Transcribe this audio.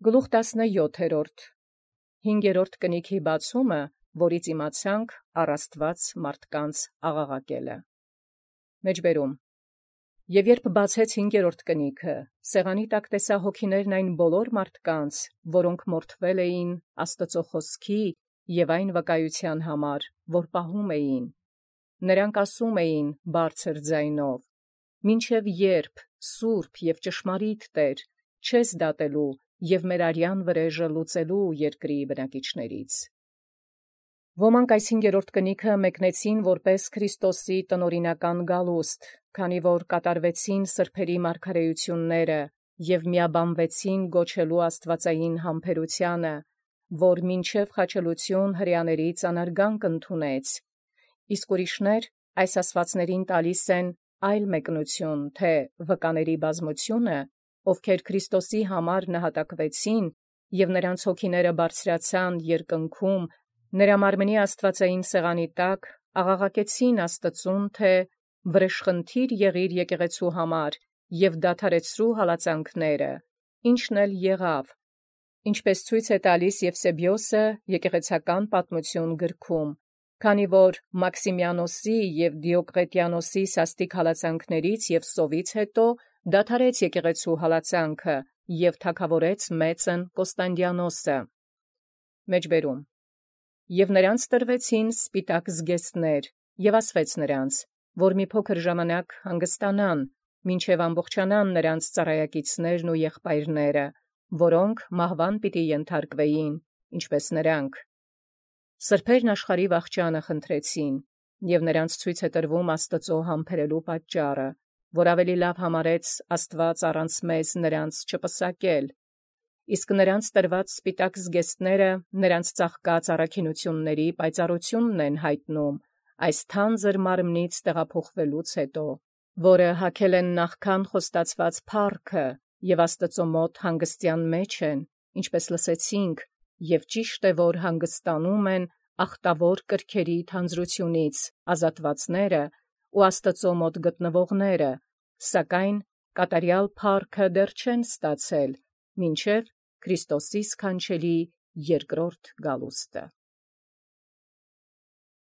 Գլուխ 17 5-րդ կնիքի բացումը, որից իմացանք առաստված մարդկանց աղաղակելը։ Մեջբերում. Եւ երբ բացեց 5-րդ կնիքը, սեղանի տակ տեսա հոգիներն այն բոլոր մարդկանց, որոնք մորթվել էին Աստծո խոսքի եւ այն վկայության համար, որ պահում էին։ Նրանք ասում էին բարձր ձայնով. «Մինչև երբ, Սուրբ եւ ճշմարիտ Տեր, չես դատելու եւ մեր արյան վրեժը լուծելու երկրի բնակիչներից»։ Ոմանք այս 5-րդ կնիքը մեկնեցին որպես Քրիստոսի տնօրինական գալուստ, քանի որ կատարվեցին սրբերի մարգարեությունները եւ միաբանվեցին գոչելու աստվածային համբերությանը, որ մինչև խաչելություն հրեաների ծանարգանք ընդունեց, իսկ ուրիշներ այս ասվածներին տալիս են այլ մեկնություն, թե վկաների բազմությունը, ովքեր Քրիստոսի համար նահատակվեցին եւ նրանց հոգիները բարձրացան երկնքում, նրա մարմնի աստվածային սեղանի տակ աղաղակեցին Աստծուն, թե վրեժխնդիր եղիր եկեղեցու համար եւ դադարեցրու հալածանքները, ինչն էլ եղավ, ինչպես ցույց է տալիս Եվսեբիոսը եկեղեցական պատմություն գրքում, քանի որ Մաքսիմիանոսի եւ Դիոկլետիանոսի սաստիկ հալածանքներից եւ սովից հետո դադարեց եկեղեցու հալածանքը եւ թագավորեց մեծն Կոստանդիանոսը։ Մեջբերում. Եւ նրանց տրվեցին սպիտակ զգեստներ, եւ ասվեց նրանց, որ մի փոքր ժամանակ հանգստանան, մինչև ամբողջանան նրանց ծառայակիցներն ու եղբայրները, որոնք մահվան պիտի ենթարկվեին, ինչպես նրանք։ Սրբերն աշխարհի վախճանը խնդրեցին, եւ նրանց ցույց է տրվում Աստծո համբերելու պատճառը, որ ավելի լավ համարեց Աստված առանց մեզ նրանց չպսակել, իսկ նրանց տրված սպիտակ զգեստները նրանց ծաղկած առաքինությունների պայծառությունն են հայտնում այս թանձր մարմնից տեղափոխվելուց հետո, որը հագել են նախքան խոստացված փառքը եւ Աստծո մոտ հանգստյան մեջ են, ինչպես լսեցինք, եւ ճիշտ է, որ հանգստանում են ախտավոր կրքերի թանձրությունից ազատվածները ու Աստծո մոտ գտնվողները, սակայն կատարյալ փառքը դեռ չեն ստացել, մինչև Քրիստոսի սքանչելի երկրորդ գալուստը։